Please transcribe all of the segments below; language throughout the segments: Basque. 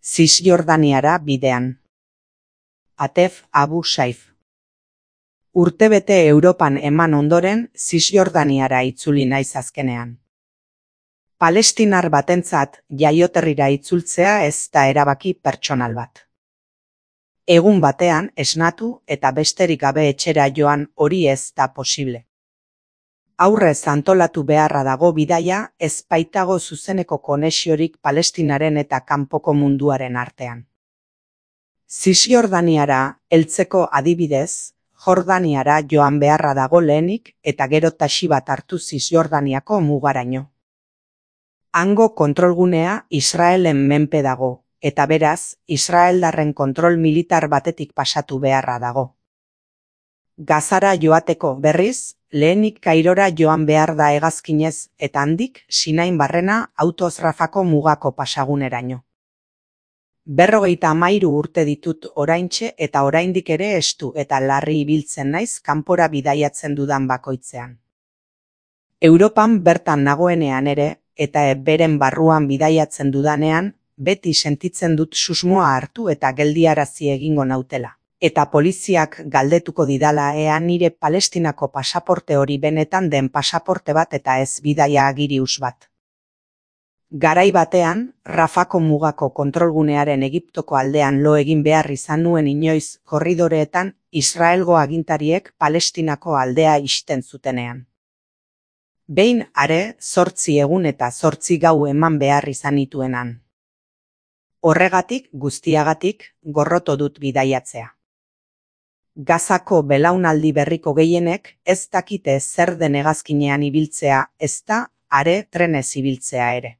Zisjordaniara bidean. Atef Abu Saif. Urtebete Europan eman ondoren, Zisjordaniara itzuli naiz azkenean. Palestinar batentzat jaioterrira itzultzea ez da erabaki pertsonal bat. Egun batean esnatu eta besterik gabe etxera joan hori ez da posible. Aurrez antolatu beharra dago bidaia, ez baitago zuzeneko konexiorik Palestinaren eta kanpoko munduaren artean. Zisjordaniara heltzeko adibidez, Jordaniara joan beharra dago lehenik eta gero taxi bat hartu Zisjordaniako mugaraino. Hango kontrolgunea Israelen menpe dago, eta beraz, israeldarren kontrol militar batetik pasatu beharra dago. Gazara joateko berriz, lehenik Kairora joan behar da hegazkinez eta handik Sinain barrena autoz Rafako mugako pasaguneraino. 53 urte ditut oraintxe eta oraindik ere estu eta larri ibiltzen naiz kanpora bidaiatzen dudan bakoitzean. Europan bertan nagoenean ere eta beren barruan bidaiatzen dudanean, beti sentitzen dut susmoa hartu eta geldiarazi egingo nautela. Eta poliziak galdetuko didala ea nire Palestinako pasaporte hori benetan den pasaporte bat eta ez bidaia agirius bat. Garai batean, Rafako mugako kontrolgunearen Egiptoko aldean lo egin behar izan nuen inoiz korridoreetan Israelgo agintariek Palestinako aldea ixten zutenean. Behin are 8 egun eta 8 gau eman behar izan nituenan. Horregatik, guztiagatik, gorroto dut bidaiatzea. Gazako belaunaldi berriko gehienek ez dakite zer den hegazkinean ibiltzea, ezta are trenez ibiltzea ere.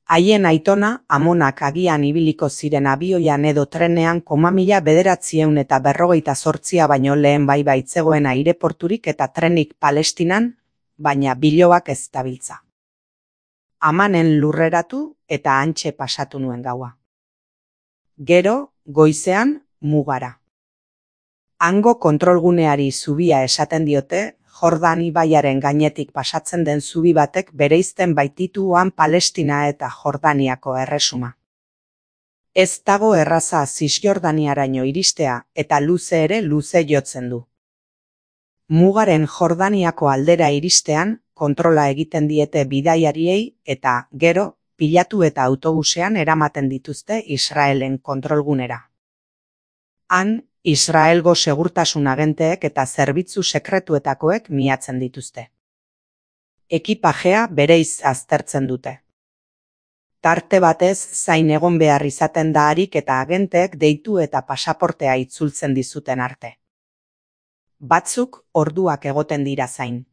Haien aitona, amonak agian ibiliko ziren abioian edo trenean 1948 baino lehen bai baitzegoen aireporturik eta trenik Palestinan, baina biloak ez dabiltza. Amanen lurreratu eta hantxe pasatu nuen gaua. Gero, goizean, mugara. Hango kontrolguneari zubia esaten diote, Jordan ibaiaren gainetik pasatzen den zubi batek bereizten baitituan Palestina eta Jordaniako erresuma. Ez dago erraza Zisjordaniaraino iristea eta luze ere luze jotzen du. Mugaren Jordaniako aldera iristean, kontrola egiten diete bidaiariei eta gero, pilatu eta autobusean eramaten dituzte Israelen kontrolgunera. Han, Israelgo segurtasun agenteek eta zerbitzu sekretuetakoek miatzen dituzte. Ekipajea bereiz aztertzen dute. Tarte batez zain egon behar izaten da harik eta agenteek deitu eta pasaportea itzultzen dizuten arte. Batzuk orduak egoten dira zain.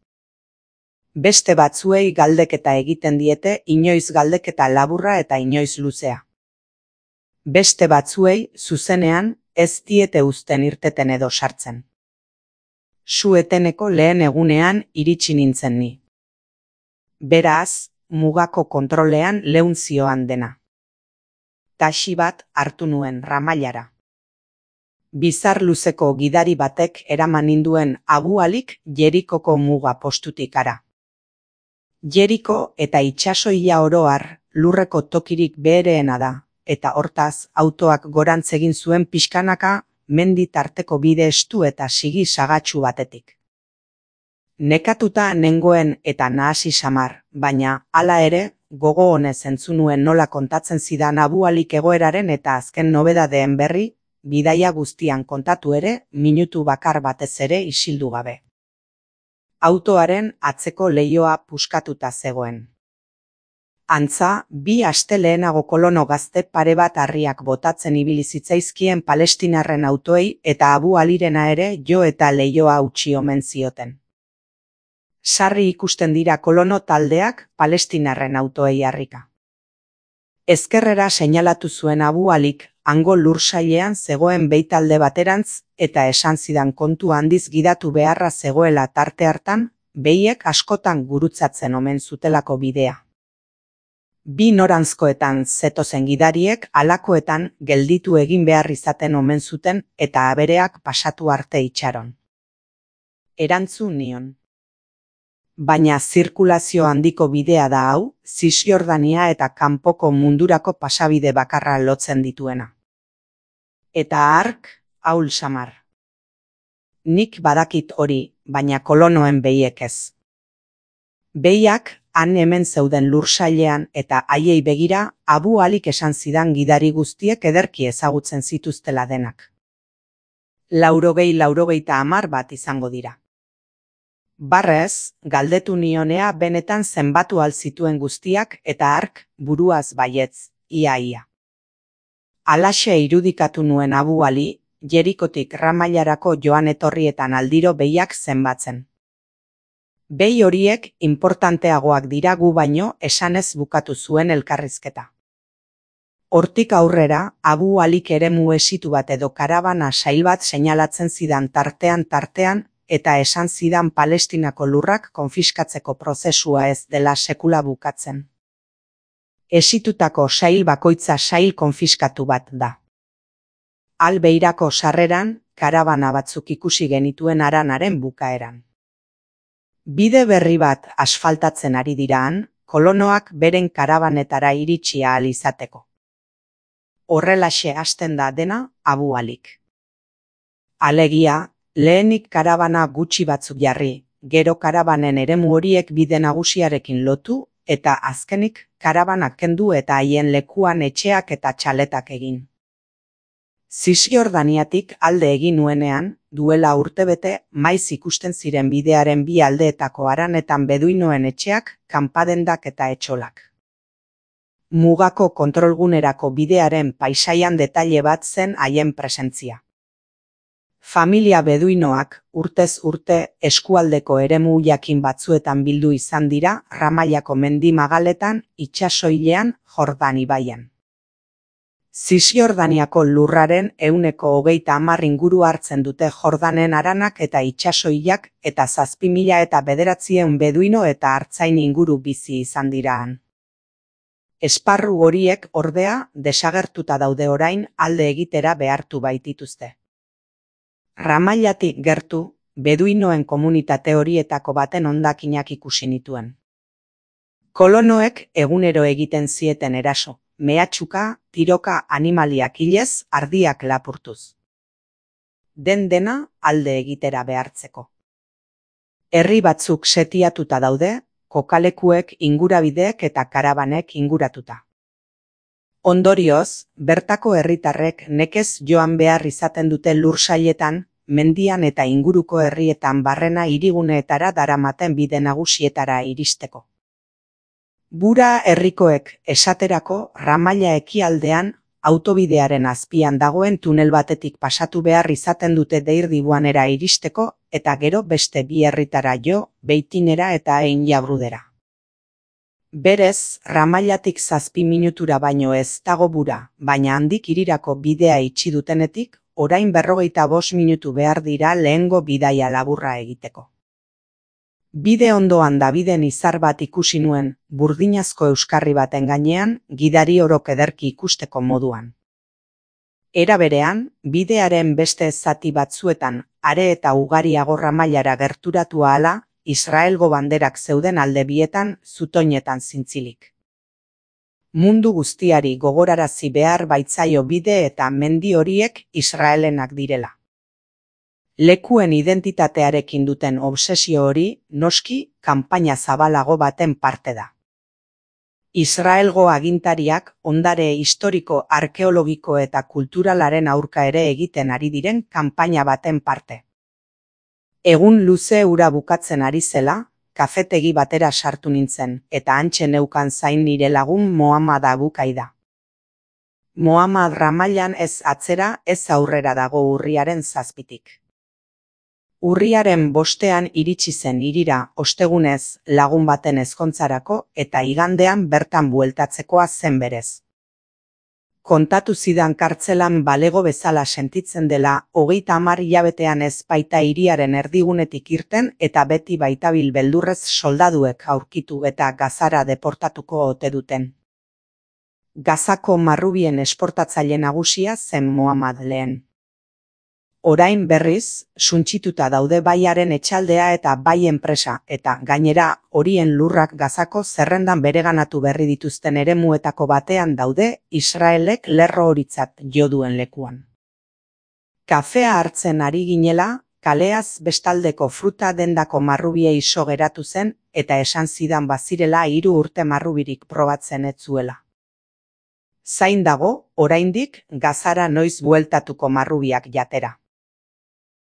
Beste batzuei galdeketa egiten diete inoiz galdeketa laburra eta inoiz luzea. Beste batzuei zuzenean ez diete uzten irteten edo sartzen. Su-eteneko lehen egunean iritsi nintzen ni. Beraz, mugako kontrolean leun zioan dena. Taxi bat hartu nuen Ramailara. Bizar luzeko gidari batek eraman ninduen Abu Alik Jerikoko muga postutik ara. Jeriko eta itsasoia oroar lurreko tokirik behereena da. Eta hortaz, autoak gorantz egin zuen pixkanaka, mendi tarteko bide estu eta sigi sagatsu batetik. Nekatuta nengoen eta nahasi samar, baina, hala ere, gogo honez entzun nuen nola kontatzen zidan Abu Alik egoeraren eta azken nobedadeen berri, bidaia guztian kontatu ere, minutu bakar batez ere isildu gabe. Autoaren atzeko leihoa puskatuta zegoen. Antza, 2 aste lehenago kolono gazte pare bat harriak botatzen ibili zitzaizkien palestinarren autoei eta Abu Alirena ere jo eta leihoa utzi omen zioten. Sarri ikusten dira kolono taldeak palestinarren autoei harrika. Ezkerrera seinalatu zuen Abu Alik hango lursailean zegoen beitalde baterantz eta esan zidan kontu handiz gidatu beharra zegoela tarte hartan, behiek askotan gurutzatzen omen zutelako bidea. 2 noranzkoetan zetozen gidariek halakoetan gelditu egin behar izaten omen zuten eta abereak pasatu arte itxaron. Erantzun nion. Baina zirkulazio handiko bidea da hau, Zisjordania eta kanpoko mundurako pasabide bakarra lotzen dituena. Eta hark, ahul samar. Nik badakit hori, baina kolonoen behiek ez. Behiak, han hemen zeuden lursailean eta haiei begira, Abu Alik esan zidan gidari guztiek ederki ezagutzen zituztela denak. 90-90 bat izango dira. Barrez, galdetu nionea benetan zenbatu alzituen guztiak eta hark buruaz baietz, ia. Alaxe irudikatu nuen Abu Ali, Jerikotik Ramailarako joan etorrietan aldiro behiak zenbatzen. Behi horiek importanteagoak dira gu baino esanez bukatu zuen elkarrizketa. Hortik aurrera, Abu Alik eremu esitu bat edo karabana sail bat seinalatzen zidan tartean eta esan zidan Palestinako lurrak konfiskatzeko prozesua ez dela sekula bukatzen. Esitutako sail bakoitza sail konfiskatu bat da. Albeirako sarreran, karabana batzuk ikusi genituen haranaren bukaeran. Bide berri bat asfaltatzen ari diraan, kolonoak beren karabanetara iritsi ahal izateko. Horrelaxe hasten da dena Abu Alik. Alegia, lehenik karabana gutxi batzuk jarri, gero karabanen eremu horiek bide nagusiarekin lotu, eta azkenik karabanak kendu eta haien lekuan etxeak eta txaletak egin. Zisjordaniatik alde egin nuenean, duela urtebete maiz ikusten ziren bidearen bi aldeetako haranetan beduinoen etxeak, kanpadendak eta etxolak. Mugako kontrolgunerako bidearen paisaian detaile bat zen haien presentzia. Familia beduinoak urtez urte eskualdeko eremu jakin batzuetan bildu izan dira Ramaiako mendi magaletan itsasoilean Jordan ibaian. Zisjordaniako lurraren 30% inguru hartzen dute Jordanen haranak eta itsasoilak eta 7.900 beduino eta artzain inguru bizi izan dira han. Esparru horiek ordea desagertuta daude orain alde egitera behartu baitituzte. Ramailatik gertu, beduinoen komunitate horietako baten hondakinak ikusi nituen. Kolonoek egunero egiten zieten eraso, mehatxuka, tiroka animaliak hilez, ardiak lapurtuz. Dena alde egitera behartzeko. Herri batzuk setiatuta daude, kokalekuek, ingurabideek eta karabanek inguratuta. Ondorioz, bertako herritarrek nekez joan behar izaten dute lursailetan, mendian eta inguruko herrietan barrena hiriguneetara daramaten bide nagusietara iristeko. Bura herrikoek esaterako Ramaila ekialdean autobidearen azpian dagoen tunel batetik pasatu behar izaten dute Deirdibuanera iristeko eta gero beste bi herritara jo, Beitinera eta Ein Jabrudera. Berez, Ramailatik 7 minutura baino ez dago bura, baina handik hirirako bidea itxi dutenetik, orain 45 minutu behar dira lehengo bidaia laburra egiteko. Bide ondoan Dabiden izar bat ikusi nuen, burdinazko euskarri baten gainean, gidari orok ederki ikusteko moduan. Era berean, bidearen beste zati batzuetan, are eta ugariago Ramailara gerturatu ahala, Israelgo banderak zeuden alde bietan, zutoinetan zintzilik. Mundu guztiari gogorarazi behar baitzaio bide eta mendi horiek Israelenak direla. Lekuen identitatearekin duten obsesio hori, noski, kanpaina zabalago baten parte da. Israelgo agintariak ondare historiko, arkeologiko eta kulturalaren aurka ere egiten ari diren kanpaina baten parte. Egun luze ura bukatzen ari zela, kafetegi batera sartu nintzen, eta hantxe neukan zain nire lagun Mohammad Abu Kaida. Mohammad Ramailan ez atzera, ez aurrera dago urriaren 7tik. Urriaren 5ean iritsi zen hirira ostegunez lagun baten ezkontzarako eta igandean bertan bueltatzekoa zen berez. Kontatu zidan kartzelan balego bezala sentitzen dela 30 hilabetean ez baita hiriaren erdigunetik irten eta beti baitabil beldurrez soldaduek aurkitu eta Gazara deportatuko ote duten. Gazako marrubien esportatzaile nagusia zen Mohammad lehen. Orain berriz, suntsituta daude baiaren etxaldea eta bai enpresa, eta gainera horien lurrak Gazako zerrendan bereganatu berri dituzten eremuetako batean daude Israelek lerro horitzat jo duen lekuan. Kafea hartzen ari ginela, kaleaz bestaldeko fruta dendako marrubiei so geratu zen eta esan zidan bazirela 3 urte marrubirik probatzen ez zuela. Zain dago, oraindik, Gazara noiz bueltatuko marrubiak jatera.